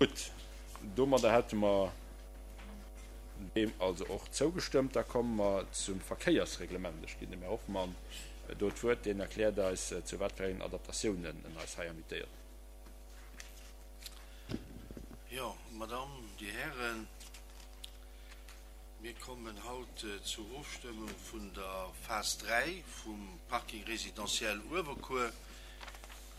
Gutt, domadder hätte mer deem also och zougestëmmt. Da komme mer zum Verkéiersreglement. Ech ginn dem Här Hoffmann do d'Wuert, deen erkläert eis, zu wat fir engen Adaptatiounen en eis hei invitéiert. Jo, Madamm, Dir Hären, mir kommen haut zur Ofstëmmung vun der Phas 3 vum Parking résidentiel Uewerkuer.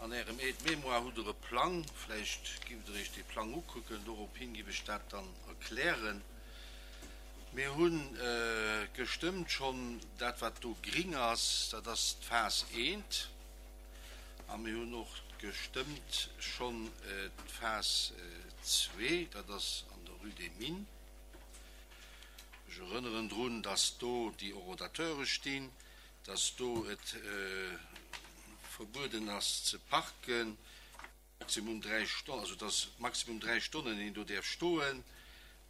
An Ärem Aide-mémoire hutt Der e Plang. Vläicht giff Der Iech dee Plang ukucken. Dorophin giff ech dat dann erklären. Mir hu gestëmmt schonn dat, wat do gring ass, dat ass d'Phas eent. A mir hunn och gestëmmt schonn d'Phas zwee, dat ass an der Rue des Mines. Ech erënneren drun, dass do déi Horodateure stinn, dass do et verbueden ass ze parken, maximum 3 Stonnen, also dass maximum 3 Stonnen een do däerf stoen.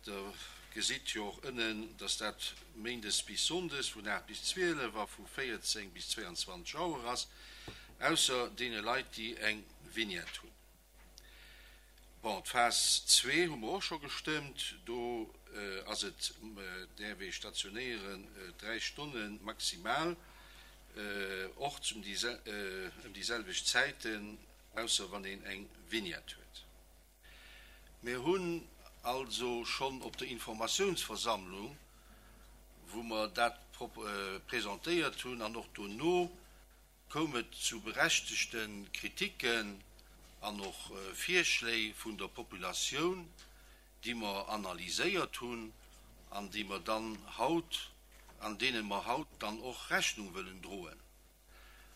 Der gesitt jo och ënnen, dass dat méindes bis sonndes vun 8 bis 12 a vu 14 bis 22 Auer ass, ausser deene Leit, déi eng Vignette hunn. Bon, d'Phas zwee hu mer och scho gestëmmt. Do ass et, däerf ee stationéieren 3 Stonne maximal, och ëm déi selwecht Zäiten, ausser wann een eng Vignette huet. Mir hunn also schonn op der Informatiounsversammlung, wou mer dat presentéiert hunn, an och dono, koum et zu berechtegte Kritiken an och Virschléi vun der Populatioun, déi mer analyséiert hunn an déi mer dann haut, an deene mer haut dann och Rechnung wëllen droen.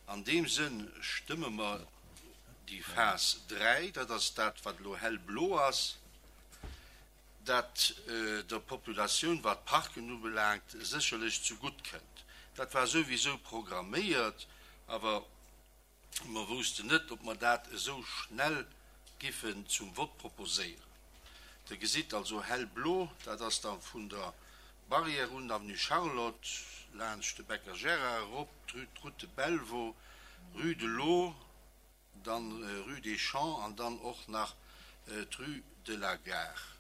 An deem Sënn stëmme mer déi Phas 3, dat ass dat, wat elo hellblo ass, dat der Populatioun, wat d'Parken ubelaangt, sécherlech zegutt kënnt. Dat war souwisou programméiert, awer mer woussten net, ob mer dat esou schnell giffen zum Vott proposéieren. Der gesitt also hellblo, dat ass da vun der Barrière un, Avenue Charlotte, laanscht de Becker Gérard erop, d'Route de Bellevaux, Rue de l'Eau, dann Rue des Champs an dann och nach d'Rue de la Gare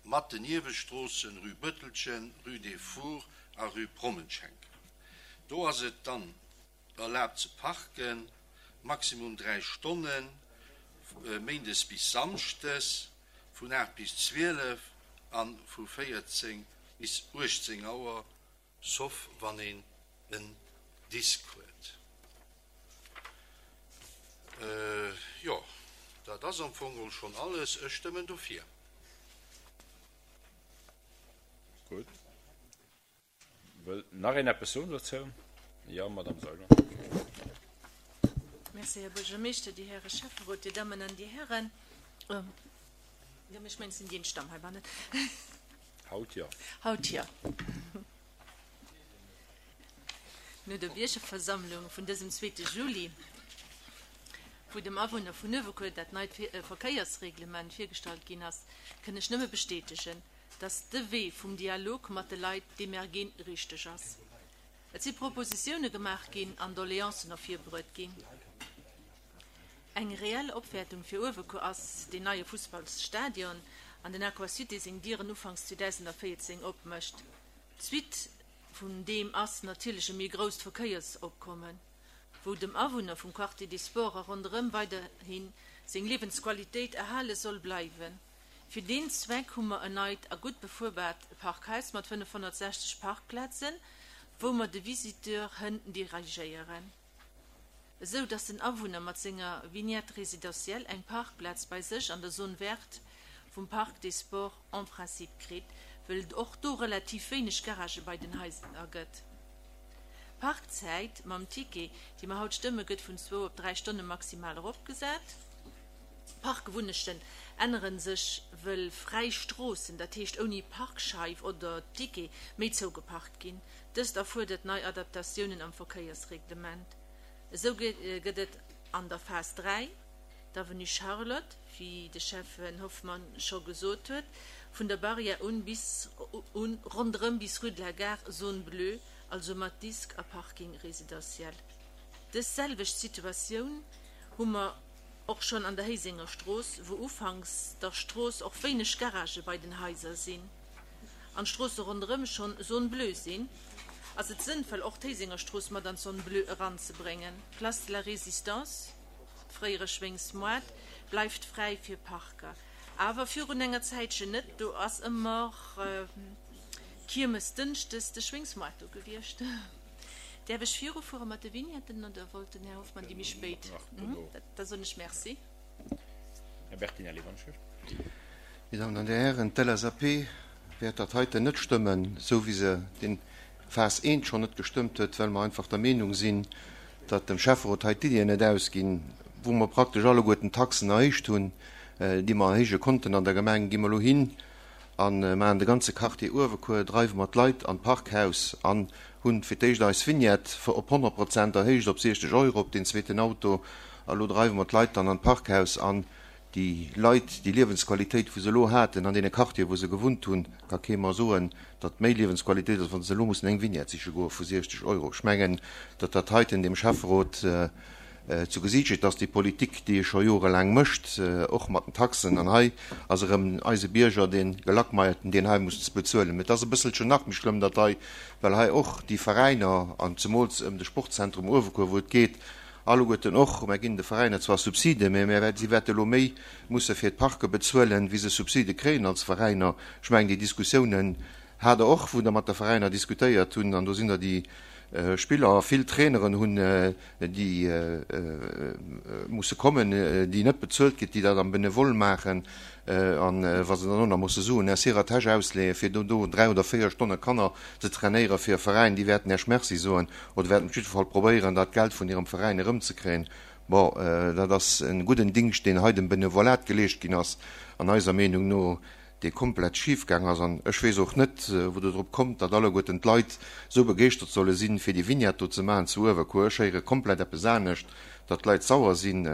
mat den Niewestroossen Rue Bëttelchen, Rue des Fours a Rue Prommenschenk. Do ass et dann erlaabt ze parken, maximum 3 Stonnen, méindes bis samschdes vun 8 bis 12 a vu 14 bis 18 Auer. Sauf wann een en Disk huet. Jo, dat ass am Fong geholl schonn alles. Ech stëmmen dofir. Gutt. Wëllt nach een eppes soen dozou? Jo, Madamm Seiler. Merci, Här Buergermeeschter, Dir Häre Schäfferot, Dir Dammen an Dir Hären. Jo, mee ech mengen, et sinn déi eenzeg Damm heibannen. Haut jo. Haut jo. No der Biergerversammlung vun dësem zweete Juli, wou dem Awunner vun Uewerkuer dat neit Verkéiersreglement virgestallt ginn ass, kënn ech nëmme bestätegen, dass de Wee vum Dialog mat de Leit, dee mer ginn, richteg ass. Et si Propositioune gemaach ginn an Doleancen ervirbruet ginn. Eng reell Opwäertung fir Uewerkuer ass deen neie Fussballsstadion an den Aquasud, dee seng Dieren ufanks 2014 opmécht. D'Suite vun deem ass natierlech e méi grousst Verkéiersopkommen, wou dem Awunner vum Quartier des Sports a ronderëm weiderhi seng Liewensqualitéit erhale soll bleiwen. Fir deen Zweck hu mer en neit a gutt befuerbaart Parkhaus mat 560 Parkplazen, wou mer de Visiteur hënn dirigéieren, esou dass den Awunner mat senger Vignette résidentielle eng Parkplaz bei sech an der Zone verte vum Parc des Sports en principe kritt, wëll et och do relativ wéineg Garagë bei den Haiser gëtt. D'Parkzäit mam Ticket, déi mer haut stëmme, gëtt vun zwou op dräi Stonne maximal eropgesat. D'Parkwunnechten änneren sech, wëll fräi Stroossen, dat heescht ouni Parkscheif oder Ticket, méi zougeparkt ginn. Dëst erfuerdert nei Adaptatiounen am Verkéiersreglement. Esou gëtt et an der Phas 3, d'Avenue Charlotte, wéi de Schäffen Hoffmann scho gesot huet, vun der Barrière un bis un ronderëm bis Rue de la Gare, Zone bleue, also mat Disk a Parking résidentiel. Dës selwecht Situatioun hu mer. Och schonn an der Héisenger Strooss, wou ufanks der Strooss och wéineg Garagë bei den Haiser sinn an d'Stroosse ronderëm schonn Zone bleue sinn, ass et sënnvoll och d'Héisenger Strooss mat an d'Zone bleue eranzebréngen. D'Place de la Résistance, fréiere Schwéngsmoart, bleift fräi fir Parker. Awer virun enger Zäitchen net, do ass ëmmer Kiermes dënschdes de Schwéngsmoart do gewiescht. Däerf ech virufuere mat de Vignetten oder wollt den Här Hoffmann déi méi spéit? Da soen ech Merci. Här Bertinelli, wann ech wëll. Dir Dammen an Dir Hären, d'LSAP wäert dat heiten net stëmmen, esou wéi se den Phas I schonn net gestëmmt huet, well mer einfach der Meenung sinn, datt dem Schäfferot hei d'Iddien net ausginn, wou mer praktesch alleguerten d'Taxen erhéicht hunn, déi mer erhéije konnten an der Gemeng, gi mer elo hin a maachen de ganze Quartier Uewekuer, dreiwe mer d'Leit an d'Parkhaus an hunn fir d'éischt eis Vignette op 100 Prozent erhéicht op 60 Euro op deen zweeten Auto a lo dreiwe mer d'Leit dann an d'Parkhaus an déi Leit, déi Liewensqualitéit wou se elo haten an deene Quartieren wou se gewunnt hunn, ka kee mer soen, datt méi Liewensqualitéit ass, wa se elo mussen eng Vignette siche goe vu 60 Euro. Ech mengen, datt dat heiten dem Schäfferot zu Gesiicht steet, dass déi Politik, déi e scho jorelaang mécht, och mat den Taxen, an hei ass erëm eise Bierger dee Gelackmeierten, deen hei muss bezuelen. Mä et ass e bësselchen nach méi schlëmm, datt hei, well hei och déi Veräiner, an zemools ëm de Sportzentrum Uewekuer, wou et geet, alleguerten och, mär ginn de Veräiner zwar Subsiden, mä mär, si wäerte elo méi musse fir d'Parke bezuelen, wéi se Subside kréien als Veräiner. Ech mengen, déi Diskussiounen hat Der och, wou Der mat de Veräiner diskutéiert hunn, an do sinn der déi Spiller a vill Traineren hunn, déi musse kommen, déi net bezuelt ginn, déi dat am Benevole maachen, a wa se dann och nach musse Suen aus hirer Täsch ausleeën, fir do do 3 oder 4 Stonne Kanner ze trainéiere fir e Veräin, déi wäerten Iech Merci soen oder wäerten op jidde Fall probéieren, dat Geld vun hirem Veräin erëmzekréien. Bon, dat ass e gudden Dingscht, deen hei dem Benevolat geleescht ginn ass, an eiser Meenung no. dee komplett schif gaang ass, an ech weess och net, wou Der drop kommt, datt alleguerten d'Leit esou begeeschtert solle sinn, fir déi Vignette do ze maachen zu Uewerkuer. Ech héiere komplett eppes anescht, datt d'Leit sauer sinn,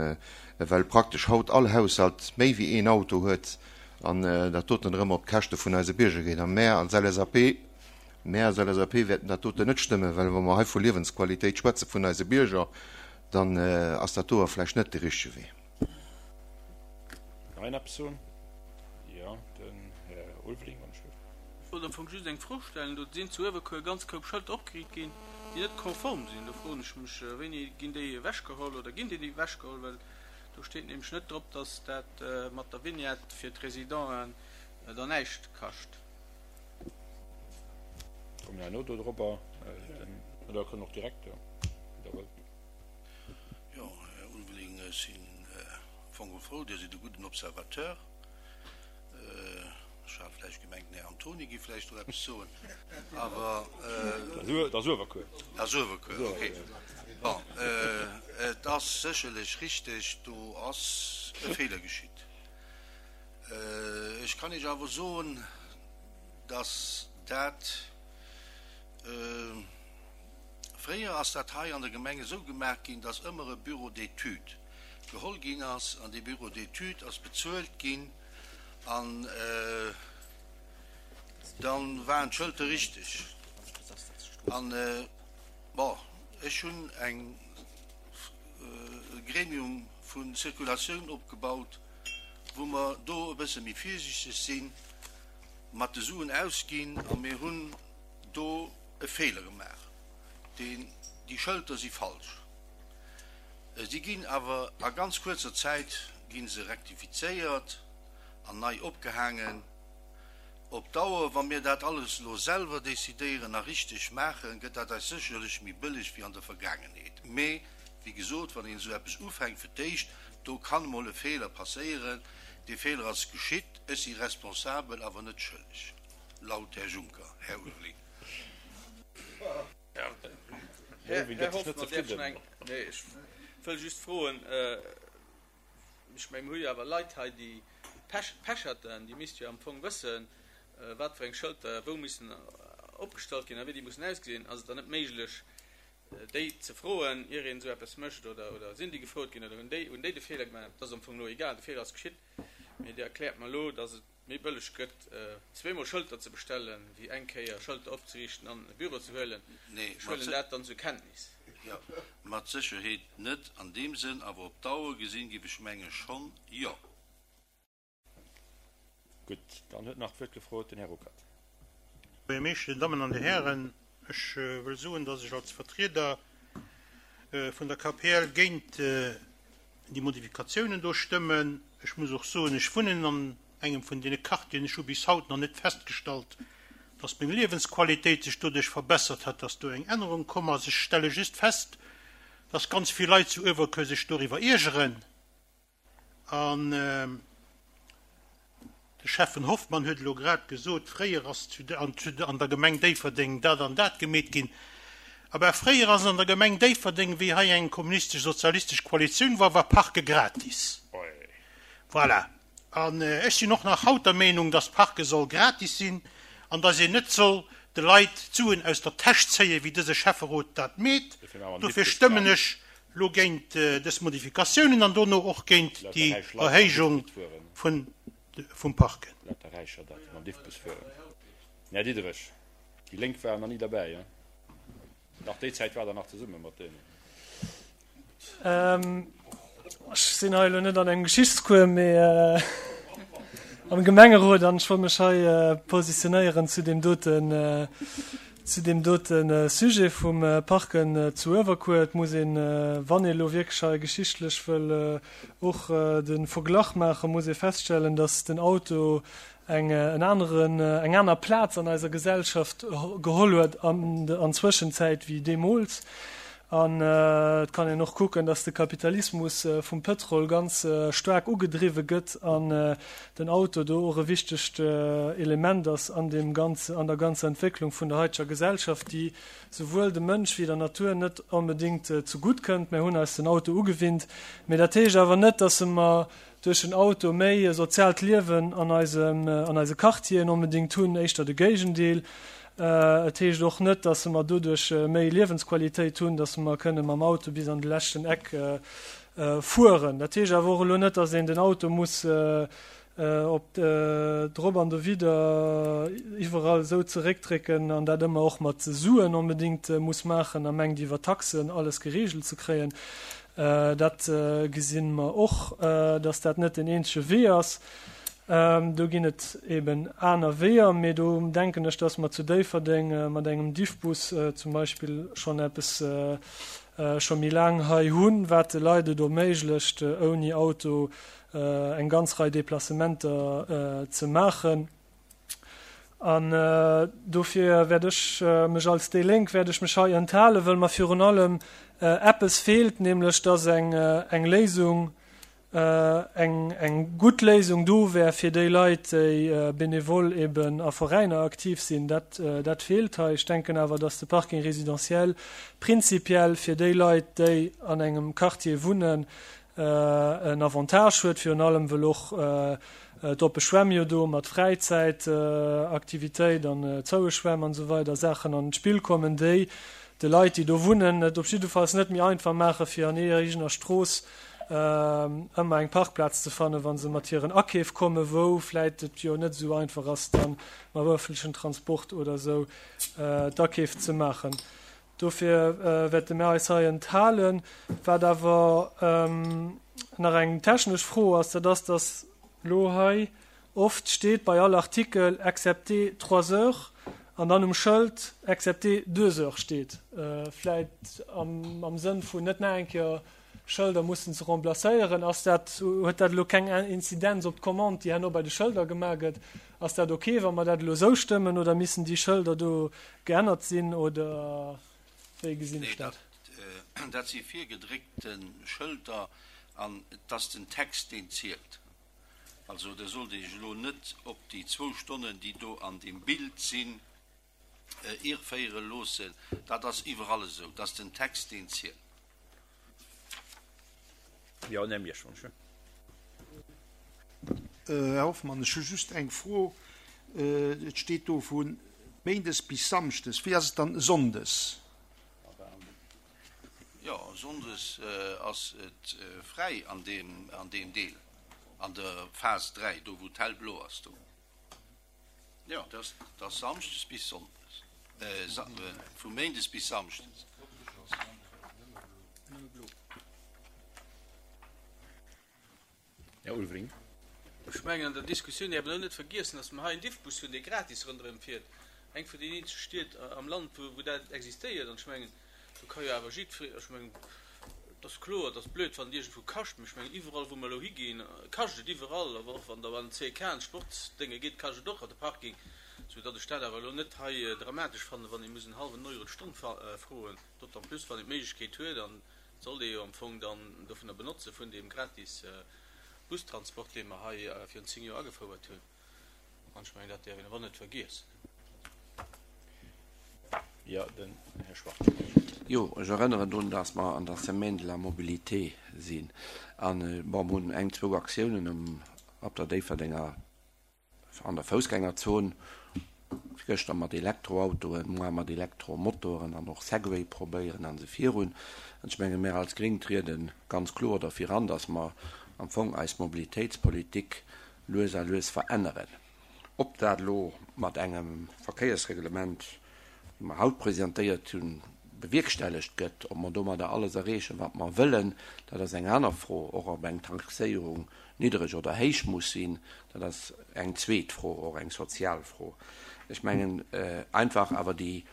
well praktesch haut all Haushalt méi wéi een Auto huet an dat doten erëm op d'Käschte vun eise Bierger geet. A mär als LSAP, mär als LSAP wäerten dat doten net stëmmen, well wa mer hei vu Liewensqualitéit schwätze vun eise Bierger, dann ass dat doe vläicht net de richtege Wee. Nach een eppes soen? Jo, den Här Ulveling, wann ech wëll. Ech wollt am Fong just eng Fro stellen. Do sinn zu Uewerkuer e ganz Koup Schëlter opgeriicht ginn, déi net konform sinn. Do froen ech mech, wéini ginn déi ewechgeholl oder ginn déi ewechgeholl? Well do steet nämlech net drop, dass dat mat der Vignette fir d'Residenten dann näischt kascht. Kommen herno do dorobber. Oder kënnen och direkt, jo, wéi Der wëllt. Jo, Här Ulveling, ech sinn am Fong frou, Dir sidd e gudden Observateur. Ech hat vläicht gemengt, den Här Antoni géif vläicht do eppes soen, awer. Dat ass Uewerkuer. Dat ass Uewerkuer, okay. Bon, et ass sécherlech richteg, do ass e Feeler geschitt. Ech kann Iech awer soen, dass dat. Fréier ass dat hei an der Gemeng esou gemaach ginn, dass ëmmer e Bureau d'études geholl ginn ass an dee Bureau d'études ass bezuelt ginn an da waren d'Schëlter richteg. An, bon, ech hunn eng e Gremium vu Circulatioun opgebaut, wou mer do e bësse méi virsiichteg si mat de Suen ausginn a mir hunn do e Feeler gemaach. Deen, déi Schëlter si falsch. Si ginn awer a ganz kuerzer Zäit gi se rektifizéiert an nei opgehaangen. Op Dauer, wa mir dat alles elo selwer decidéieren a richteg maachen, gëtt dat eis sécherlech méi bëlleg wéi an der Vergaangenheet. Mee, wéi gesot, wann een esou eppes ufänkt fir d'éischt, do kann emol e Feeler passéieren. Dee Feeler ass geschitt. Ech si responsabel, awer net schëlleg. Laut Här Juncker. Här Ulveling. Här Hoffmann, däerf ech nach eng. Nee, ech wëll just froen, ech mengen, mir hu jo awer Leit hei, déi Pech, Pecherten, déi misste jo am Fong wëssen, wat fir eng Schëlter wou missen opgestallt ginn a wéi déi mussen ausgesinn. Ass et dann net méiglech, déi ze froen, ier een esou eppes mécht? Oder, oder sinn déi gefrot ginn oder hunn déi, hunn déi de Feeler gemaach? Dat ass am Fong elo egal, de Feeler ass geschitt. Mee Dir erkläert mer elo, dass et méi bëlleg gëtt, zweemol Schëlter ze bestellen, wéi eng Kéier Schëlter opzeriichten an e Büro ze huelen. Nee, Ech huelen dat dann zur Kenntnis. Jo, mat Sécherheet net an deem Sënn, awer op Dauer gesinn giff ech mengen schonn, jo. Gutt, dann huet nach d'Wuert gefrot den Här Ruckert. Buergermeeschter, Dir Dammen an Dir Hären, ech wëll soen, dass ech als Vertrieder vun der KPL géint déi Modifikatiounen do stëmmen. Ech muss och soen, ech wunnen an engem vun deene Quartieren, ech hu bis haut nach net festgestallt, dass meng Liewensqualitéit sech doduerch verbessert hat, dass do eng Ännerung komm ass. Ech stelle just fest, dass ganz vill Leit zu Uewerkuer sech doriwwer iergeren. An de Schäffen Hoffmann huet elo grad gesot, fréier ass an der Gemeng Déifferdeng dat an dat gemeet ginn. Abä fréier ass an der Gemeng Déifferdeng, wéi hei eng kommunistesch-sozialistesch Koalitioun war, war Parke gratis. Voilà. An ech sinn och nach haut der Meenung, dass Parke soll gratis sinn an dass een net soll de Leit d'Suen aus der Täsch zéien, wéi dëse Schäfferot dat meet. Dofir stëmmen ech lo géint dës Modifikatiounen an dono och géint déi Erhéijung vum Parken. Lauter Räicher dat, déi mam Diffbus fueren. Den Här Diderich, déi Lénk waren nach ni derbäi, hein? Nach déi Zäit war Der nach zesumme mat deenen. Ech sinn hei elo net an engem Geschichtscours, mee am Gemengerot an ech wollt mech hei positionéieren zu deem doten, zu deem dote Sujet vum Parken zu Uewerkuer. Et muss een, wann ee elo wierklech hei geschichtlech wëll och de Verglach maachen, muss ee feststellen, datt den Auto eng en aneren, eng aner Plaz an eiser Gesellschaft geholl huet an an Zwëschenzäit wéi deemools. An et kann een och kucken, datt de Kapitalismus vum Pëtrol ganz staark ugedriwwe gëtt an den Auto do och e wichtegt Element ass an deem ganze, an der ganzer Entwécklung vun der haiteger Gesellschaft, déi souwuel dem Mënsch wéi der Natur net onbedéngt zegutt kënnt. Mir hunn eis den Auto ugewinnt, mee dat heescht awer net, datt mer duerch den Auto méi e soziaalt Liewen an eisem, an eise Quartieren onbedéngt hunn, éischter de Géigendeel. Et heescht och net, dass mer doduerch méi Liewensqualitéit hunn, dass mer kënne mam Auto bis an de leschten Eck fueren. Dat heescht awer och elo net, dass een den Auto muss op drop an dowidder iwwerall esou zeréckdrécken an dat ëmmer och mat Suen onbedéngt muss maachen a mengt iwwer Taxen alles geregelt ze kréien. Dat gesi mer och, dass dat net den eenzege Wee ass. Do ginn et eben aner Weeër, mee do denken ech, dass mer zu Déifferdeng mat engem Diffbus zum Beispill schonn eppes scho méi laang hei hunn, wat de Leit et erméiglecht, ouni Auto eng ganz Rei Deplacementer ze maachen. An dofir wäert ech mech als déi Lénk wäert ech mech hei enthalen, wëll mer virun allem eppes feelt, nämlech dass eng eng Léisung, eng eng gutt Léisung do wär fir déi Leit, déi benevol eben a Veräiner aktiv sinn. Dat dat feelt hei. Ech denken awer, dass de Parking résidentiel prinzipiell fir déi Leit, déi an engem Quartier wunnen, en Avantage huet, virun allem wëll och d'oppe Schwämm jo do mat Fräizäitaktivitéit an zoue Schwämm an esou weider Saachen an d'Spill kommen, déi de Leit, déi do wunnen, et op jiddefalls net méi einfach maache fir an hirer eegener Strooss ëmmer eng Parkplaz ze fannen, wa se mat hiren Akeef kommen, wou vläit et jo net esou einfach ass, da mam ëffentlechen Transport oder esou d'Akeef ze maachen. Dofir wäerte mir eis hei enthalen. Wat awer nach eng technesch Fro ass, dat ass, dass elo hei oft steet bei all Artikel excepté trois heures an dann um Schëld excepté deux heures steet. Vläicht am Sënn vun net nach eng Kéier Schëlder mussen ze remplacéieren. Ass dat, huet dat elo keng Inzidenz op d'Commande, déi herno bei de Schëlder gemaach gëtt? Ass dat ok, wa mer dat elo esou stëmmen, oder missen déi Schëlder do geännert sinn, oder wéi gesinn ech dat? Nee, dat si virgedréckte Schëlder an et ass den Text, deen zielt. Also Der sollt Iech elo net op déi zwou Stonnen, déi do an deem Bild sinn, irrféiere loossen. Dat ass iwwerall esou, et ass den Text, deen zielt. Jo, den Här Miersch, wann ech. Här Hoffmann, ech hu just eng Fro. Et steet do vu méindes bis samschdes. Wéi ass et dann sonndes? Jo, sonndes ass et fräi an deem, an deem Deel, an der Phas 3, do wou d'hellblo ass do. Jo, dat ass samschdes bis sonndes, vu méindes bis samschdes. Här Ulveling. Ech mengen, an der Diskussioun däerf een och net vergiessen, dass mer hei en Diffbus hunn, dee gratis ronderëm fiert. Eng vun den eenzege Stied am Land, wou dat existéiert. An ech mengen, do ka jo awer jiddweree, ech mengen, et ass kloer, et ass blöd, wann et iergendwou kascht, mä ech mengen, iwwerall, wou mer elo higinn, kascht et iwwerall. Awer och wann Der an den CK an d'Sportsdénge gitt, kascht et och an de Parking. Soudatt ech dat awer elo net hei dramatesch fannen, wann ee muss en hallwen Euro d'Stonn froen, d'autant plus, wann een d'Méiglechkeet huet. An et sollt ee jo am Fong dann dovunner benotze vun deem gratis Bustransport, dee mer hei virun 10 Joer agefouert hunn. An ech mengen, dat däerf een awer net vergiessen. Jo, den Här Schwarz. Jo, ech erënneren drun, dass mer an der Semaine de la mobilité sinn. An, bon, mer hunn eng, zwou Aktiounen um, op der Déifferdenger An der Foussgängerzon, gëschter mat Elektroautoen, moar mat Elektromotoren an och Segway probéieren an esou virun. An ech menge mär als Gréng triede ganz kloer derfir an, datt mer am Fong eis Mobilitéitspolitik lues a lues veränneren. Ob dat elo mat engem Verkéiersreglement, dee mer haut presentéiert hunn, bewierkstellegt gëtt, ob mer domadder alles erreechen, wat mer wëllen, dat ass eng aner Fro. Och ob eng Taxéierung niddereg oder héich muss sinn, dat ass eng zweet Fro, och eng sozial Fro. Ech mengen einfach awer déi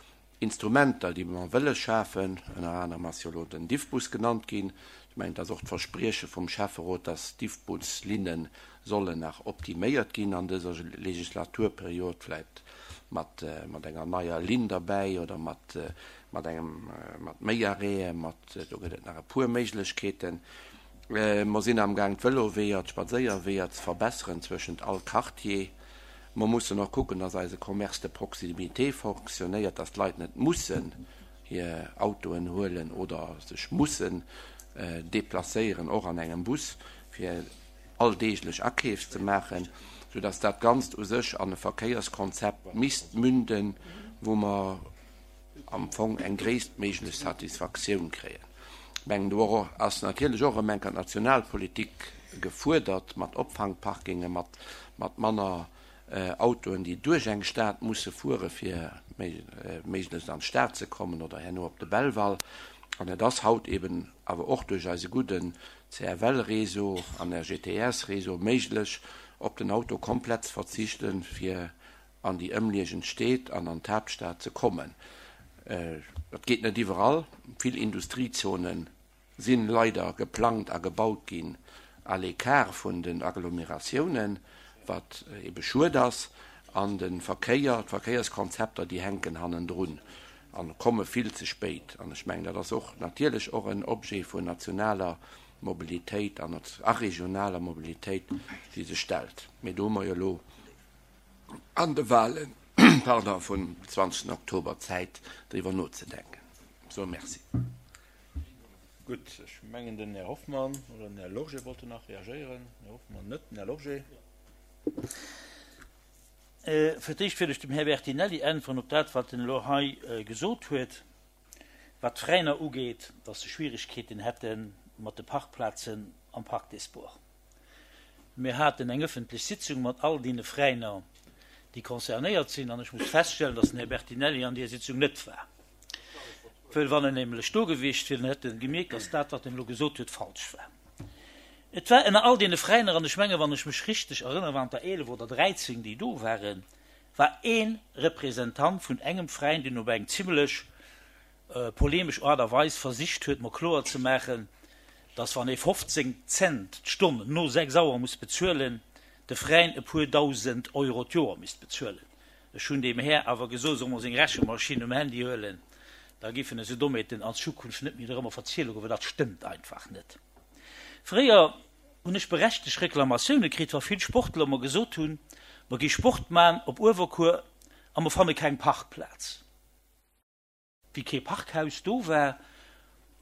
Instrumenter, déi mer wëlle schafen, ënner anerem ass jo elo den Diffbus genannt ginn, ech mengen, et ass och d'Versprieche vum Schäfferot, dass d'Diffbuslinne sollen nach optiméiert ginn an dëser Legislaturperiod, vläicht mat enger neier Linn derbäi oder mat engem, mat méi Arrêten, mat, do gëtt et nach e puer Méiglechkeeten. Mer sinn amgaang d'Vëloweeër, d'Spadséierweeër ze verbesseren zwëschent all Quartier. Mer mussen och kucken, dass eise Commerce de proximité fonctionnéiert, dass d'Leit net mussen hir Autoen huelen oder sech mussen déplacéieren, och an engem Bus, fir alldeeglech Akeef ze maachen, soudass dat Ganzt u sech an e Verkéierskonzept misst münden, wou mer am Fong eng gréisstméiglech Satisfaktioun kréien. Ech mengen, do ass natierlech och erëm eng Kéier d'Nationalpolitik gefuerdert, mat Opfangparkinge, mat mat manner Autoen, déi duerch eng Stad musse fuere fir méiglechst an d'Stad ze kommen oder herno op de Belval. An et ass haut eben awer och duerch eise gudden CFL-Réseau an RGTS-Réseau méiglech, op den Auto komplett ze verzichten, fir an déi ëmliegend Stéit an an d'Haaptstad ze kommen. Dat geet net iwwerall. Vill Industriezone si leider geplangt a gebaut ginn à l'écart vun den Agglomeratiounen, wat ebe schued ass. An de Verkéier, d'Verkéierskonzepter, déi hänken hannendrun a komme vill ze spéit. An ech mengen, dat ass och natierlech och en Objet vun nationaler Mobilitéit an a regionaler Mobilitéit, déi sech stellt. Mee do hu mer jo elo an de Wahlen, pardon, vum 20 Oktober Zäit driwwer nozedenken. So, merci. Gutt, ech mengen den Här Hoffmann oder den Här Lorgé wollten nach reagéieren. Den Här Hoffmann net, den Här Lorgé. Fir d'éischt wëll ech dem Här Bertinelli äntweren op dat, wat en elo hei gesot huet, wat d'Veräiner ugeet, dass se Schwierigkeeten hätte mat de Parkplazen am Parc des Sports. Mir haten eng ëffentlech Sitzung mat all deene Veräiner, déi concernéiert sinn, an ech muss feststellen, dass den Här Bertinelli an deer Sitzung net war. Wëll wann en nämlech do gewiescht wier, dann hätt en gemierkt, dass dat, wat en elo gesot huet, falsch war. Et war ënner all deene Veräiner, an ech menge wann ech mech richteg erënnere waren et der 11 oder 13, déi do waren, war ee Representant vun engem Veräin, deen op eng zimlech polemesch Aart a Weis versicht huet, mer kloer ze maachen, dass wann ee 15 Cent d'Stonn no 6 Auer muss bezuelen, de Veräin e puer Dausend Euro d'Joer misst bezuelen. Ech hunn deem Här awer gesot, e soll mol seng Rechemaschinn um Handy huelen, da giffen esou Dommheeten an Zukunft net méi dorëmmer verziele goen, well dat stëmmt einfach net. Fréier hunn ech berechtegt Reklamatioune kritt, wa vill Sportler mer gesot hunn, mer gi Sport man op Uewerkuer a mer fanne keng Parkplaz. Wéi kee Parkhaus do war,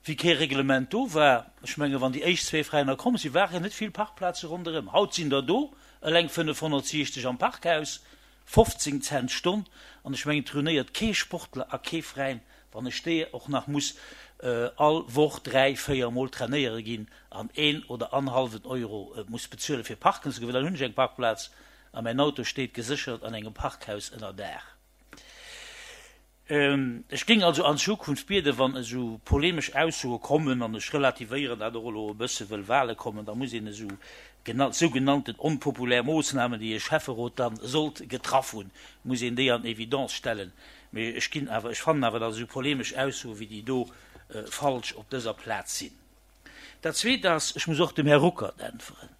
wéi kee Reglement do war, ech menge wann déi éischt zwee Veräiner komm sinn, waren net vill Parkplaze ronderëm. Haut sinn der do eleng 560 am Parkhaus, 15 Cent d'Stonn, an ech mengen et ruinéiert kee Sportler a kee Veräin, wann ech déi och nach muss all Woch dräi, véier Mol trainéiere ginn an een oder anhalwen Euro muss bezuele fir parken ze goen, well dann hunn ech eng Parkplaz a mäin Auto steet geséchert an engem Parkhaus ënner Daach. Ech géing also an Zukunft bieden, wann esou polemesch Aussoe kommen, an ech relativéieren dat och elo e bësse wëll Wahle kommen, da muss een esou. Sougenannten onpopulär Moossnamen, déi e Schäfferot dann sollt getraff hunn, muss een déi an Evidence stellen. Mee ech ginn awer, ech fannen awer, datt esou polemesch Aussoe wéi déi do falsch op dëser Plaz sinn. Dat Zweet ass, ech muss och dem Här Ruckert äntweren.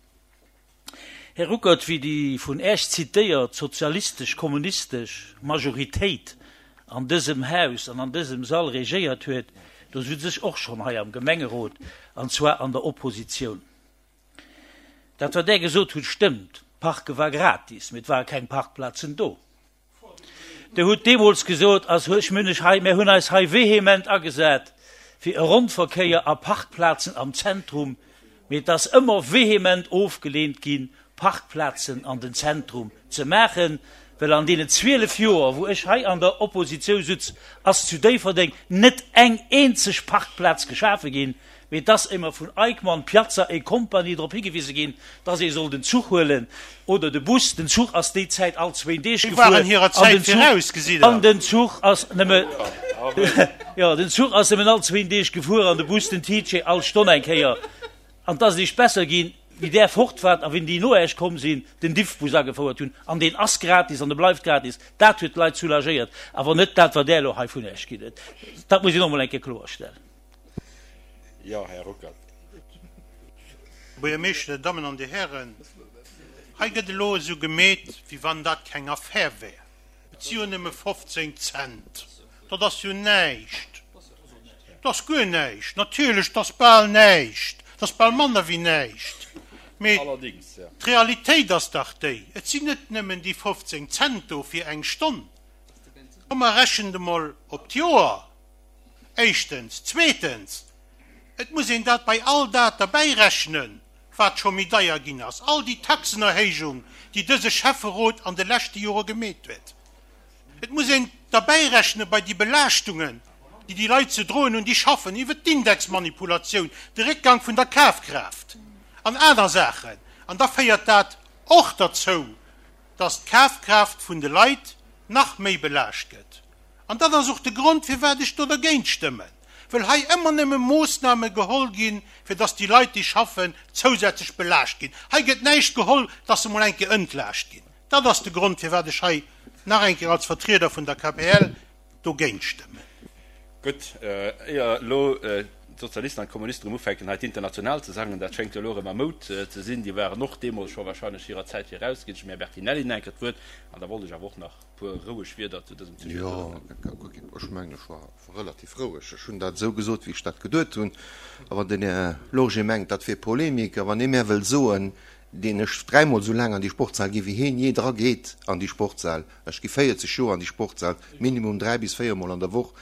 Här Ruckert, wéi déi vun Äech zitéiert sozialistesch-kommunistesch Majoritéit an dësem Haus an an dësem Sall regéiert huet, do sutz ech och schonn hei am Gemengerot, an zwar an der Oppositioun. Dat wat Där gesot hutt stëmmt, d'Parke war gratis, mee et ware keng Parkplazen do. Dir hutt deemools gesot, also ech mün ech hei, mär hunn eis hei vehement agesat fir e Ronnverkéier a Parkplazen am Zentrum, mee et ass ëmmer vehement ofgeleent ginn, Parkplazen an den Zentrum ze maachen, well an deenen 12 Joer, wou ech hei an der Oppositioun sutz, ass zu Déifferdeng net eng eenzeg Parkplaz geschafe ginn, mee et ass émmer vun Eickmann, Piazza et Compagnie drop higewise ginn, dass ee soll den Zuch huelen oder de Bus. Den Zuch ass déi Zäit all zwéin Deeg Déi gefuer waren hirer an Zäit den Zuch, viraus, gesitt Der. an den Zuch ass nëmme, jo, den Zuch ass nëmmen all zwéin Deeg gefuer an de Bus, den TJ, all Stonn eng Kéier. An 't ass eréischt besser ginn, wéi där fort waart a wéi déi no Äech komm sinn, den Diffbus agefouert hunn. An deen ass gratis an e bleift gratis. Dat huet d'Leit soulagéiert, awer net dat, wat Där elo hei vun Äech ginn huet. Dat muss een och emol eng Kéier kloerstellen. Jo, Här Ruckert. Här Buergermeeschter, Dir Dammen an Dir Hären, hei gëtt elo esou gemeet, wéi wann dat keng Affär wär. Et si jo nëmme 15 Cent, dat ass jo näischt. Dat ass guer näischt, natierlech, dat ass bal näischt, dat ass bal manner wéi näischt. Mee d'Realitéit ass dach déi, et sinn net nëmmen déi 15 Cent do fir eng Stonn. Komm mer rechent emol op d'Joer, éischtens. Zweetens, et muss een dat bei all dat derbäirechnen, wat scho méi deier ginn ass, all déi Taxenerhéijung, déi dëse Schäfferot an de leschte Jore gemeet huet. Et muss een derbäirechne bei déi Belaaschtungen, déi déi Leit ze droen hunn, déi schaffen, iwwert d'Indexmanipulatioun, de Réckgang vun der Kafkraaft an aner Saachen. An da féiert dat och derzou, dass d'Kafkraaft vun de Leit nach méi belaascht gëtt. An dat ass och de Grond, firwat ech do dergéint stëmmen, well hei ëmmer nëmme Moossname geholl ginn, fir dass déi Leit, déi schaffen, zousätzlech belaascht ginn. Hei gëtt näischt geholl, dass se mol eng Kéier entlaascht ginn. Dat ass de Grond, firwat ech hei nach eng Kéier als Vertrieder vun der KPL dogéint stëmmen. Gutt, éier elo d'Sozialisten an d'Kommunisten erëm ufänken, hei d'Internationale ze sangen, dat schéngt jo elo erëm a Moud ze sinn, déi waren och deemools scho wahrscheinlech hirer Zäit viraus, ginn ech dem Här Bertinelli nach eng Kéier d'Wuert an da wollt ech awer och nach e puer roueg Wierder zu dësem Sujet soen. Jo, ech mengen, ech war relativ roueg. Ech hunn dat esou gesot, wéi ech dat geduet hunn. A wann den Här Lorgé mengt, dat wier Polemik, a wann ee mär wëll soen, deen ech dräimol esou laang an déi Sportshal gi wéi heen jee dra geet an déi Sportshal, ech gi 40 Joer an déi Sportshal, minimum 3 bis 4 mol an der Woch,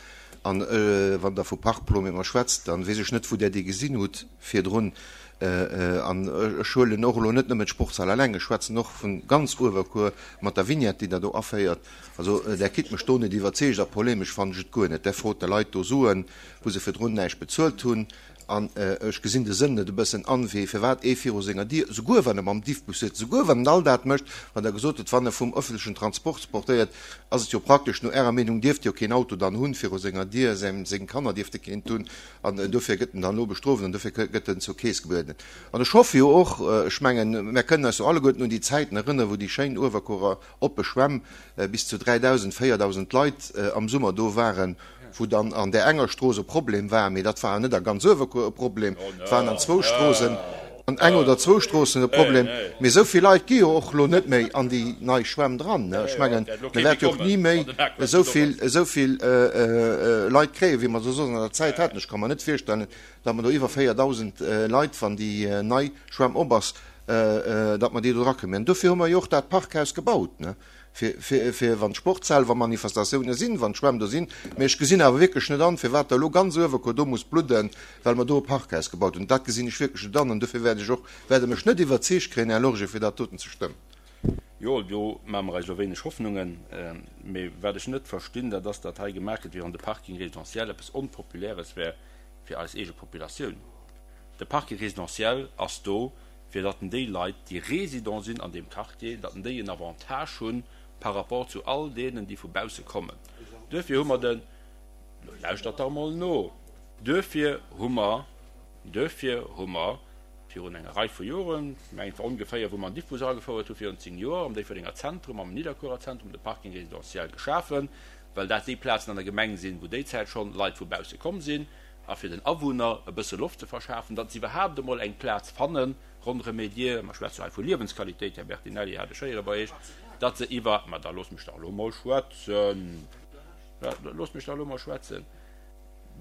an wann Der vu Parkplo mat mer schwätzt, dann weess ech net wou Der déi gesinn hutt virdrun. An ech huelen och elo net nëmmen d'Sportshal eleng, ech schwätzen och vu ganz Uewerkuer mat der Vignette déi Der do aféiert. Also Der kritt mech do net iwwerzeegt a polemesch fannen ech et guer net. Der frot de Leit do Suen, wou se virdrun näischt bezuelt hunn. An ech gesinn de Sënn net e bëssen an, wéi firwat ee viru senger Dier, souguer wann e mam Diffbus sëtzt, souguer wann en all dat mécht, wat Der gesot hutt, wann e vum öffentlechen Transport portéiert, ass et jo praktesch, no Ärer Meenung dierft jo keen Auto dann hunn viru senger Dier, seng Kanner dierfte keent hunn, an dofir gëtt en dann elo bestrooft an dofir gëtt en zur Keess gebueden. An ech hoffe jo och, ech mengen, mär kënnen eis jo alleguerten un déi Zäiten erënneren, wou déi schéin Uewerkuerer oppe Schwämm bis zu 3.000, 4.000 Leit am Summer do waren, wou dann an där enger Strooss e Problem war, mee dat war net a ganz Uewerkuer e Problem, et waren an zwou Stroossen, an eng oder zwou Stroossen e Problem. Mee esou vill Leit gi jo och elo net méi an déi nei Schwämm dran. Ech mengen, mir wäerte jo och ni méi esou vill, esou vill Leit kréien, wéi mer se soss an der Zäit haten. Ech ka mer net virstellen, datt mer do iwwer 4.000 Leit, wann déi nei Schwämm op ass, datt mer déi do drakréien. Mä dofir hu mer jo och dat Parkhaus gebaut, fir, fir wann d'Sportshal, wa Manifestatioune sinn, wann d'Schwämm do sinn. Mee ech gesinn awer wierklech net an, firwat da elo ganz Uewerkuer do muss bludden, well mer do e Parkhaus gebaut hunn. Dat gesinn ech wierklech net an an dofir wäert ech och, wäert Der mech net iwwerzeegt kréien, Här Lorge, fir dat doten ze stëmmen. Jo, do maache mer eis elo wéineg Hoffnungen. Mee wat ech net verstinn, dat ass, datt hei gemaach gëtt, wéi wann de Parking résidentiel eppes Onpopuläres wär fir eis eege Populatioun. De Parking résidentiel ass do, fir datt en déi Leit, déi Résident sinn an deem Quartier, datt en déi en Avantage hu par rapport zu all deenen, déi vu bausse kommen. Duerfir hu mer den, lo lauschtert dach emol no, duerfir hu mer, duerfir hu mer. Virun enger Rei vu Joren, ech mengen et war ongeféier wou mer an Diffbus agefouert hu virun 10 Joer, am Déifferdenger Zentrum, am Nidderkuerer Zentrum de Parking résidentiel geschafen, well dat déi Plazen an der Gemeng sinn, wou déizäit schonn Leit vu bausse komm sinn, a fir den Awunner e bësse Loft ze verschafen, datt se iwwerhaapt emol eng Plaz fanne ronderëm hir Dier, mer schwätze jo hei vu Liewensqualitéit, Här Bertinelli hat ech héiere bei Iech, datt se iwwer, ma da loosst mech dach elo mol schwätzen, loosst mech dach elo mol schwätzen,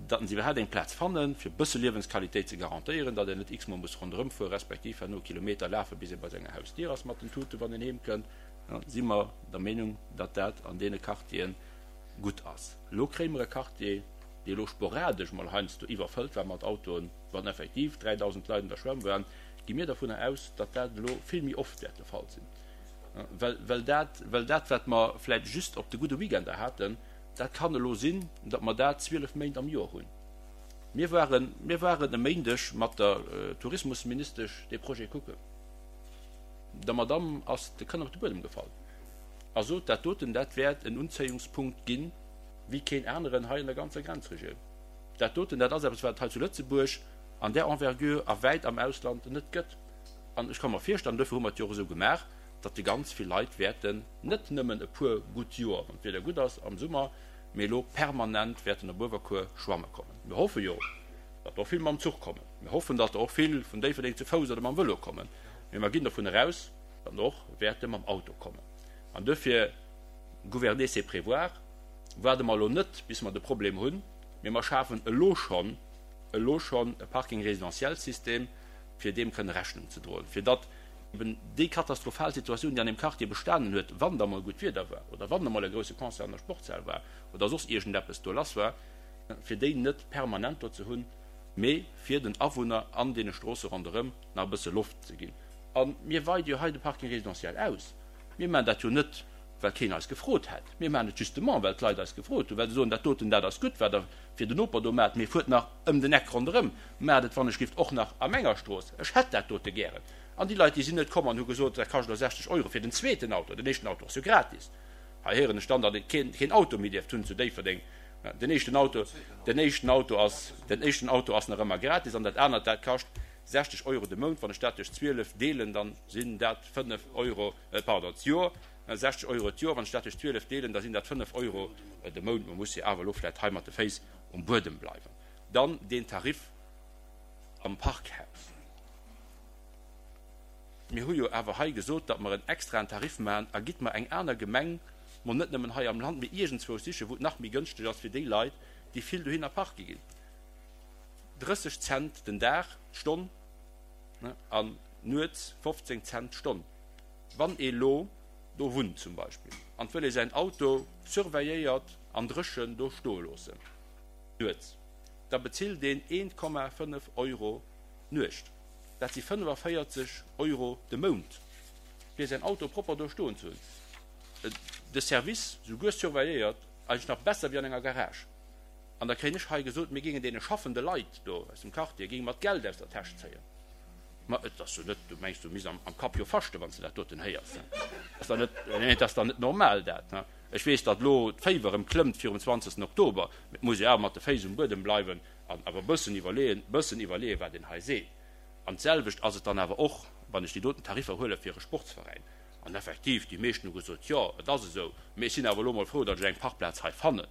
datt se iwwerhaapt eng Plaz fannen, fir e bësse Liewensqualitéit ze garantéieren, datt een net x-mol muss ronderëm fuere respektiv herno Kilometer lafe bis ee bei senger Hausdier ass mat den Tuten, wann een heemkënnt, si mer der Meenung, datt dat an deene Quartieren gutt ass. Elo kréie mer e Quartier, dee elo sporadesch mol heiansdo iwwerfëllt war mat Autoen, wann effektiv 3.000 Leit an der Schwämm waren, gi mir dovunner aus, datt dat elo vill méi oft wäert de Fall sinn, well, well dat, well dat, wat mer vläicht just op de gudde Weekender haten, dat kann elo sinn, datt mer dat 12 Méint am Joer hunn. Mir waren, mir waren e Méindeg mat der Tourismusministesch dee Projet kucken. Der Madamm ass de Kënn op de Buedem gefall a sot, dat doten, dat wäert en Unzéiungspunkt ginn, wéi keen aneren hei an der ganzer Grenzregioun. Dat doten, dat ass eppes, wat et hei zu Lëtzebuerg an där Envergure a wäit am Ausland net gëtt. An ech ka mer virstellen, duerfir hu mer et jo och esou gemaach, datt déi ganz vill Leit wäerten net nëmmen e puer gutt Joer, wann d'Wieder gutt ass am Summer, mee elo permanent wäerten op Uewerkuer schwamme kommen. Mir hoffe jo, datt der och vill mam Zuch kommen. Mir hoffen, datt der och vill vun Déifferdeng zu Fouss oder mam Vëlo kommen. Mee mer ginn dovun eraus, datt der och wäerte mam Auto kommen. An duerfir, gouverner c'est prévoir, waarde mer elo net, bis mer de Problem hunn, mee mer schafen elo schonn, elo schonn e Parking résidentiel-System, fir deem kënne Rechnung ze droen, fir datt eben déi katastrophal Situatioun, déi an deem Quartier bestanen huet, wann da mol gutt Wieder war oder wann da mol e grousse Concert an der Sportshal war oder soss iergendeppes do lass war, fir déi net permanent do ze hunn, mee fir den Awunner an deene Stroosse ronderëm nach e bësse Loft ze ginn. A mir weide jo hei de Parking résidentiel aus. Mir maachen dat jo net, well keen eis gefrot hätt. Mir maachen et justement, well d'Leit eis gefrot hunn, well se soen, dat doten, dat ass gutt, wat Der fir den Noper do maacht, mee fuert nach ëm den Eck ronderëm, maacht et wannechgift och nach a menger Strooss, ech hätt dat dote gären. An déi Leit, déi sinn net komm an hu gesot, dat kascht elo 60 Euro fir den zweeten Auto, den éischten Auto ass jo gratis. Hei héieren ech dann, datt ee keen, keen Auto méi dierft hunn zu Déifferdeng. Den éischten Auto, den éischten Auto ass, den éischten Auto ass nach ëmmer gratis an dat anert, dat kascht 60 Euro de Mount. Wann ech dat duerch 12 deelen, dann sinn dat 5 Euro, pardon, d'Joer, 60 Euro d'Joer. Wann ech dat duerch 12 deelen, da sinn dat 5 Euro de Mount. Mer musse jo awer elo vläicht hei mat de Féiss um Buedem bleiwen. Dann deen Tarif am Parkhaus. Mir hu jo awer hei gesot, datt mer en extraen Tarif maachen. A gitt mer eng aner Gemeng, mol net nëmmen hei am Land, mee iergendzwousch sichen, wou et nach méi gënschteg ass fir déi Leit, déi vill dohinner parke ginn. 30 Cent den Dag, d'Stonn, an nuets 15 Cent d'Stonn. Wann ee lo do wunnt zum Beispill an wëll ee säin Auto surveilléiert an dréchen do stoe loossen nuets, da bezilt een 1,5 Euro d'Nuecht. Dat si 45 Euro de Mount, fir säin Auto propper do stoen ze hunn. De Service souguer surveilléiert, eigentlech nach besser wéi an enger Garage. An da kréien ech hei gesot, mir géingen deene schaffende Leit do aus dem Quartier, géinge mer d'Geld aus der Täsch zéien. Ma et ass jo net, du mengs, du misst am Kapp jo faschten, wann s de dat doten héiers. Dat ass dach net, nee, dat ass dach net normal, dat. Ech weess, datt elo d'Féiwer erëm klëmmt virum 20. Oktober, mee et muss ee awer mat de Féiss um Buedem bleiwen an awer e bëssen iwwerleeën, bëssen iwwerleeën, wat een hei seet. An d'selwecht ass et dann awer och, wann ech déi doten Tariffer huele fir e Sportsveräin. An effektiv, déi meeschten hu gesot, jo, et ass esou, mee ech sinn awer elo emol frou, datt ech eng Parkplaz hei fannen.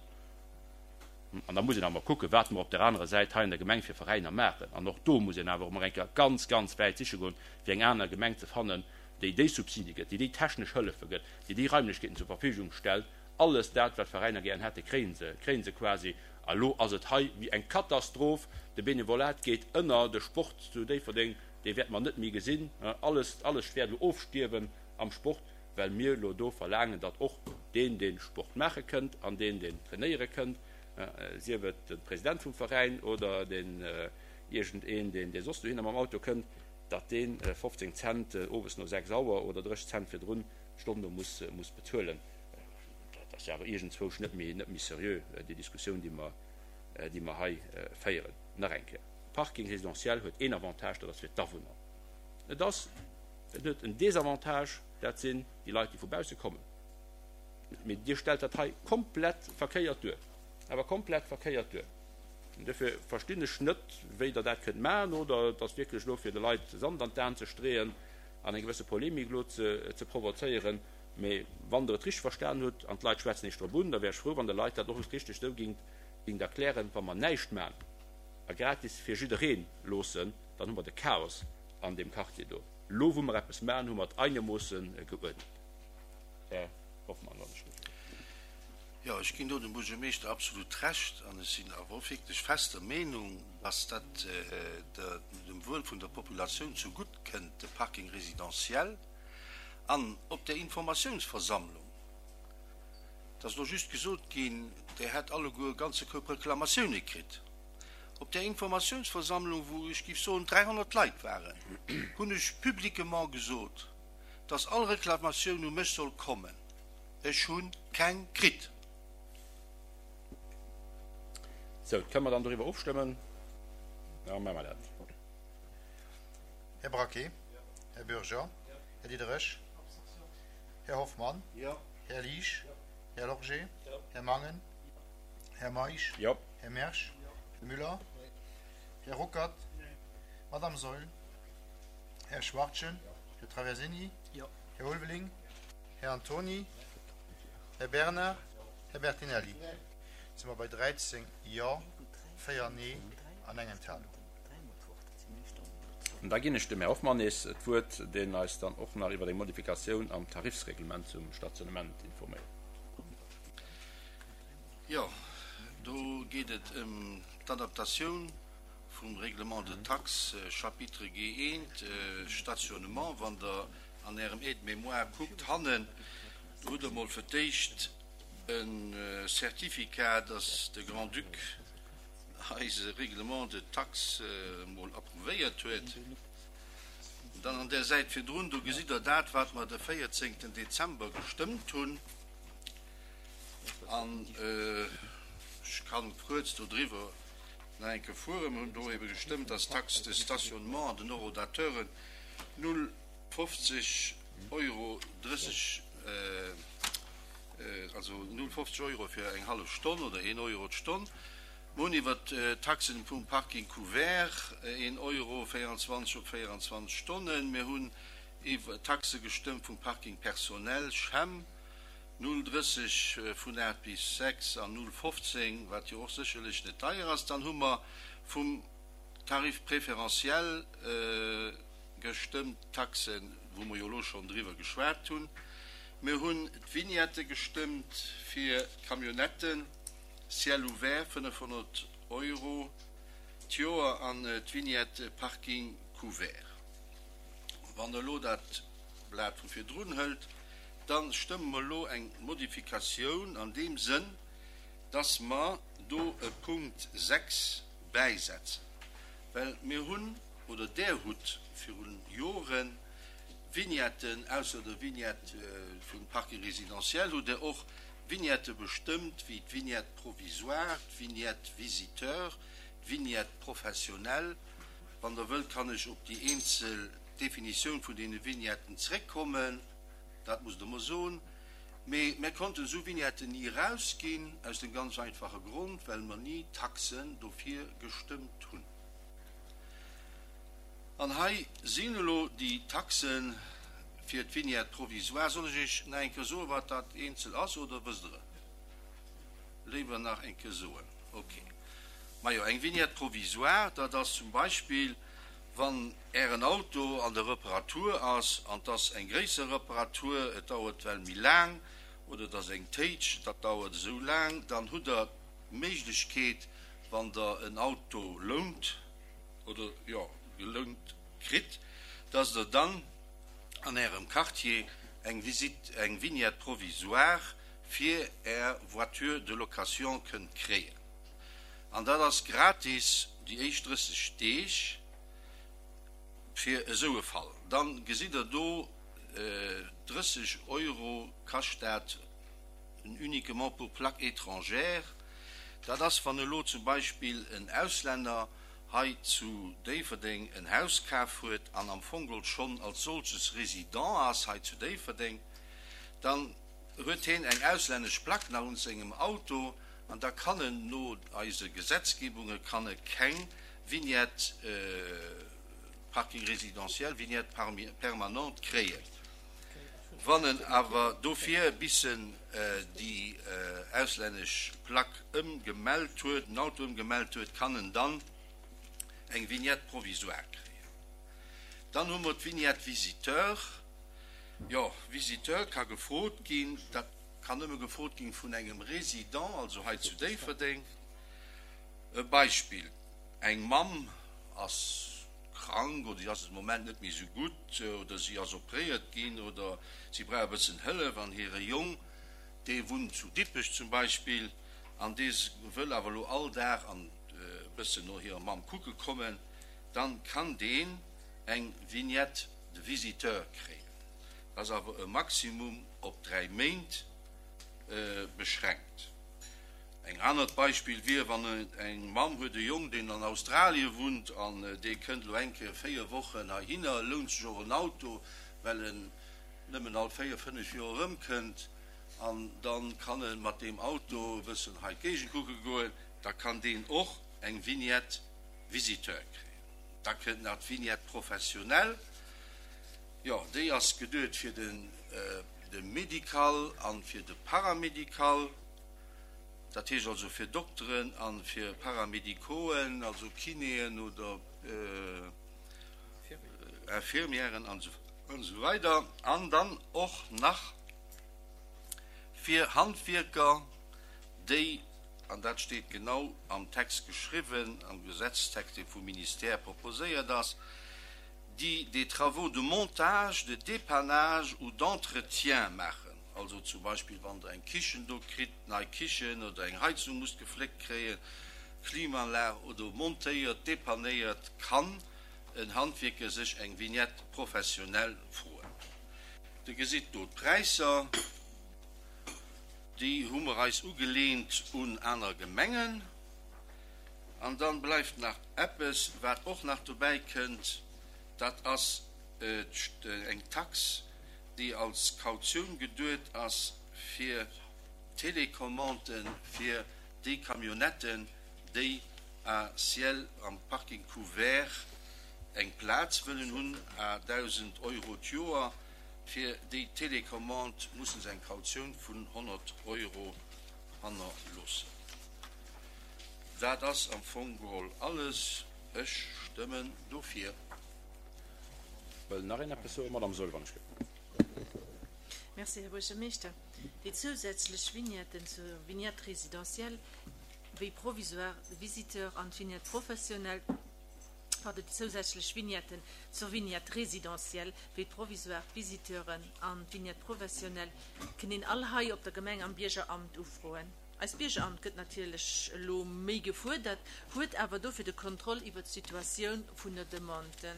An da muss een awer kucken, wat mer op där anerer Säit hei an der Gemeng fir Veräiner maachen. An och do muss een awer emol eng Kéier ganz, ganz wäit siche goen, fir eng aner Gemeng ze fannen, déi déi Subside gëtt, déi déi technesch Hëllefe gëtt, déi déi Raimlechkeeten zur Verfügung stellt. Alles dat, wat d'Veräiner gären hätten, kréie se, kréie se quasi. A lo ass et hei wéi eng Katastroph. De Benevolat geet ënner, de Sport zu Déifferdeng, dee wäerte mer net méi gesinn. Alles, alles wäert elo ofstierwen am Sport. well mir elo do verlaangen, datt och deen, dee Sport maache kënnt an deen, deen trainéiere kënnt, sief et de President vum Veräin oder deen iergendeen, deen, dee soss dohinner mam Auto kënnt, datt dee 15 Cent owes no 6 Auer oder 30 Cent virdrun d'Stonn do muss, muss bezuelen. Dat ass jo awer iergendzwousch net méi, net méi seriö, déi Diskussioun, déi mer, déi mer hei féieren. Nach eng Kéier, Parking résidentiel huet een Avantage, dat ass fir d'Awunner. Et ass, et huet en Désavantage, dat sinn déi Leit, déi vu bausse kommen. Mee Dir stellt dat hei komplett verkéiert duer, awer komplett verkéiert duer. Duerfir verstinn ech net, wéi Der dat kënnt maachen, oder et ass wierklech elo fir de Leit Sand an d'Aen ze streeën an eng gewësse Polemik elo ze provozéieren. Mee wann Der et richteg verstan hutt an d'Leit schwätzen Iech drop un, da wär ech frou, wann Der Leit dat och richteg esou gingt gingt erklären, Wa mer näischt maachen a gratis fir jidderee loossen, dann hu mer de Chaos an deem Quartier do. Elo wou mer eppes maachen, hu mer et einermoosse geuerdent. Här Hoffmann, wann ech dierf. Jo, ech ginn do dem Buergermeeschter absolut Recht an ech sinn awer och wierklech fest der Meenung, dass dat dem Wuel vun der Populatioun zegutt kënnt, de Parking résidentiel. An op där Informatiounsversammlung, et ass elo just gesot ginn, Der hätt alleguer e ganze Koup Reklamatioune kritt. Op där Informatiounsversammlung, wou ech géif soen 300 Leit waren, hunn ech publiquement gesot, dass all Reklamatioun u mech soll kommen. Ech hu keng kritt. Sou, kënne mer dann doriwwer ofstëmmen? Da maache mer dat. Här Braquet? Här Bürger? Här Diderich? Här Hoffmann? Här Liesch? Här Lorgé? Här Mangen? Här Meisch? Här Mersch? Här Müller? Här Ruckert? Madame Saeul? Här Schwachtgen? Här Traversini? Här Ulveling? Här Antony? Här Bernard? Här Bertinelli? Si mer bei 13 Jo, 4 Nee an eng Enthalung. An da ginn ech dem Här Hoffmann nees d'Wuert, deen eis dann och nach iwwer eng Modifikatioun am Tarifsreglement zum Stationnement informéiert. Jo, do geet et ëm d'Adaptatioun vum Règlement de taxes, Chapitre G1, Stationnement. Wann Der an Ärem Aide-mémoire kuckt hannen, do hutt Der emol fir d'éischt e Certificat, dass de Grand-Duc eise Règlement de taxes emol approuvéiert huet. Dann an där Säit virdrun, do gesitt Der dat, wat mer de 14. Dezember gestëmmt hunn. An ech kann kuerz dodriwwer nach eng Kéier fueren. Mer hunn do ebe gestëmmt, dass d'Taxe de stationnement an den Horodateuren 0,50 Euro 30, also 0,50 Euro fir eng hallef Stonn oder een Euro d'Stonn. Mer hunn iwwert d'Taxen vum Parking couvert, een Euro 24 op 24 Stonnen. Mir hunn iwwer d'Taxe gestëmmt vum Parking personnel, Chem, 0,30 vun 8 bis 6 an 0,15, wat jo och sécherlech net deier ass. Dann hu mer vum Tarif préférentiel gestëmmt, d'Taxen, wou mer jo elo schonn driwwer geschwat hunn. Mir hunn d'Vignette gestëmmt fir d'Camionnetten, ciel ouvert, 500 Euro d'Joer, an d'Vignette Parking couvert. Wann Der elo dat Blat vu virdrun hëlt, Da stëmme mer elo eng Modifikatioun an deem Sënn, dass mer do e Punkt 6 bäisetzen, well mir hunn, oder Der hutt viru Jore Vignetten, ausser der Vignette vum Parking résidentiel hutt Der och Vignette bestëmmt wéi d'Vignette provisoire, d'Vignette visiteur, d'Vignette professionnelle. Wann Der wëllt, kann ech op déi eenzel Definitioun vun deene Vignetten zréckkommen. Dat musst Der mer soen. Mee mir konnten esou Vignetten ni erausginn, aus dem ganz einfache Grond, well mer ni Taxen dofir gestëmmt hunn. An hei sinn elo déi Taxe fir d'Vignette provisoire. Soll ech Iech nach eng Kéier soen, wat dat eenzel ass, oder wësst Der et? Léiwer nach eng Kéier soen. Okay. Majo, eng Vignette provisoire, dat ass zum Beispill, Wann Ären Auto an der Reparatur ass, an 't ass eng gréisser Reparatur, et dauert well méi laang, oder et ass eng Téitsch, dat dauert esou laang, dann hutt Der d'Méiglechkeet, wann Der en Auto lount oder, jo, gelount kritt, dass Der dann an Ärem Quartier eng Visite, eng Vignette provisoire fir Är Voiture de location kënnt kréien. An dat ass gratis déi éischt 30 Deeg fir esou e Fall. Dann gesitt Der do, 30 Euro kascht dat uniquement pour plaque étrangère. Dat ass, wann elo zum Beispill en Auslänner hei zu Déifferdeng en Haus kaf huet an am Fong geholl schonn als solches Résident ass hei zu Déifferdeng, dann huet hien eng auslännesch Plaque nach un sengem Auto. An da kann en no eise Gesetzgebunge kann e keng Vignette parking résidentiel, Vignette permanente kréien. Wann en awer dofir bis en déi auslännesch Plack ëmgemellt huet, den Auto ëmgemellt huet, kann en dann eng Vignette provisoire kréien. Dann hu mer d'Vignette visiteur. Jo, Visiteur ka gefrot ginn, dat kann nëmme gefrot ginn vun engem Résident, also hei zu Déifferdeng. E Beispill, Eng Mamm ass krank oder si ass et am Moment net méi esou gutt oder si ass opréiert ginn oder si brauch e bëssen Hëllef an hire Jong, dee wunnt zu Dippech zum Beispill an dee wëll awer elo all Dag an e bëssen no hirer Mamm kucke kommen, dann kann deen eng Vignette de visiteur kréien. Dat ass awer e Maximum op 3 Méint beschränkt. Eng anert Beispill wier, wann eng Mamm huet e Jong, deen an Australie wunnt an dee kënnt elo eng Kéier 4 Wochen heihinner, lount sech och en Auto, well en nëmmen all 4, 5 Joer erëmkënnt an da kann e mat deem Auto e bëssen hei d'Géigend kucke goen, da kann deen och eng Vignette visiteur kréien. Da kënnt nach d'Vignette professionnelle, jo, déi ass geduet fir de Médical an fir de Paramédical. Dat heescht also fir Dokteren a fir Paramédicoen, also Kinéen oder Infirmièren an esou weider. An dann och nach fir Handwierker, déi, an dat steet genau am Text geschriwwen, am Gesetztext, dee vum Ministère proposéiert ass, déi des travaux de montage, de dépannage ou d'entretien maachen. Also zum Beispill wann der eng Kichen do kritt, nei Kichen oder eng Heizung musst gefléckt kréien, Klimaanlag oder montéiert, depannéiert, kann en Handwierker sech eng Vignette professionnelle froen. Der gesitt do d'Präisser, déi hu mer eis ugeleent un aner Gemengen. An dann bleift nach eppes, wat och nach dobäi kënnt, dat ass eng Tax, déi als Kautioun geduet ass fir d'Télécommanden fir déi Camionnetten, déi à ciel am Parking couvert eng Plaz wëllen hunn, à 1.000 Euro d'Joer. Fir déi Télécommande mussen se eng Kautioun vun 100 Euro hannerloossen. Dat ass am Fong geholl alles. Ech stëmmen dofir. Wëll nach een eppes soen? Madame Saeul, wann ech gëtt. Merci, Här Buergermeeschter. Déi zousätzlech Vignetten zur Vignette résidentielle wéi provisoire de visiteur an d'Vignette professionnelle, pardon, déi zousätzlech Vignetten zur Vignette résidentielle wéi d'provisoire d'Visiteuren an d'Vignette professionnelle kënn een all hei op der Gemeng am Biergeramt ufroen. Eist Biergeramt gëtt natierlech elo méi gefuerdert, huet awer dofir de Kontroll iwwert d'Situatioun vun der Demande.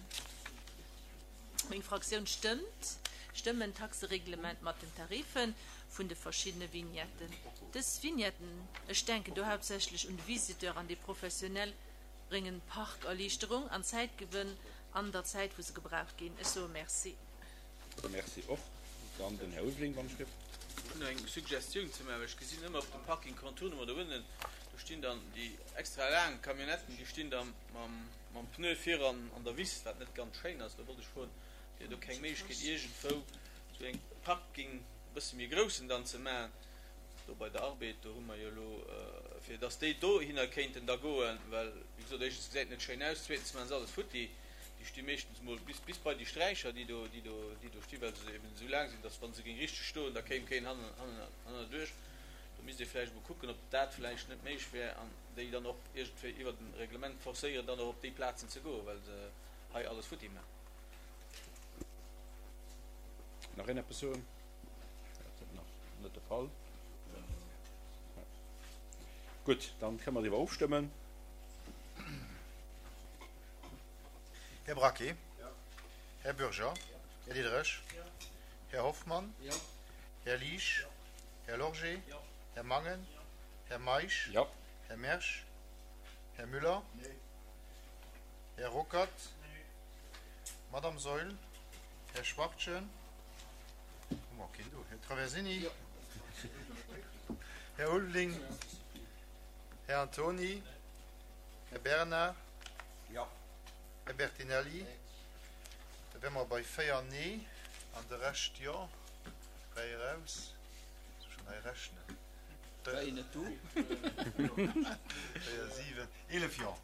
Meng Fraktioun stëmmt stëmmen d'Taxereglement mat den Tarife vun de verschiddene Vignetten. Dës Vignetten, ech denken do haaptsächlech un de Visiteur an déi Professionell, bréngen Parkerliichterung an Zäitgewënn an der Zäit wou se gebraucht ginn. Ech soe Merci. Merci och. Dann den Här Ulveling, wann ech dierf. Ech hunn eng Suggestioun ze maachen. Ech gesinn ëmmer op dem Parking Contournement do ënnen, do stinn dann déi extra laang Camionnetten, déi stinn da mam Pneu viran an der Wiss, wat net ganz schéin ass. Do wollt ech froen, wier do keng Méiglechkeet iergendwou esou eng Parking e bësse méi groussen dann ze maachen, do bei der Arbed, do hu mer jo elo, fir dass déi dohinner kéinten da goen, well wéi gesot, éischtens gesäit et net schéin aus, zweetens maache se alles futti. Déi sti meeschtens mol bis, bis bei déi Sträicher, déi do, déi do, déi do stinn, well se eben esou laang sinn, dass wa se géing richteg stoen, da kéim keen hannen, hannen, hannerduerch. Do misst ee vläicht emol kucken, ob dat vläicht net méiglech wär an déi dann och iergendwéi iwwert e Reglement forcéieren, dann och op déi Plazen ze goen, well se hei alles futti maachen. Nach een eppes soen? Dat ass nach net de Fall. Gutt, dann kënne mer driwwer ofstëmmen. Här Braquet. Här Bürger. Här Diderich. Här Hoffmann. Här Liesch. Här Lorgé. Här Mangen. Här Meisch. Här Mersch. Här Müller. Här Ruckert. Madame Saeul. Här Schwachtgen. Hu mer keen do? Här Traversini. Här Ulveling. Här Antony. Här Bernard. Jo. Här Bertinelli. Da wäre mer bei 4 Nee an de Rescht Jo. 3 eraus. Muss ech schonn hei rechnen. War een net do? 4, 7, 11 Jo.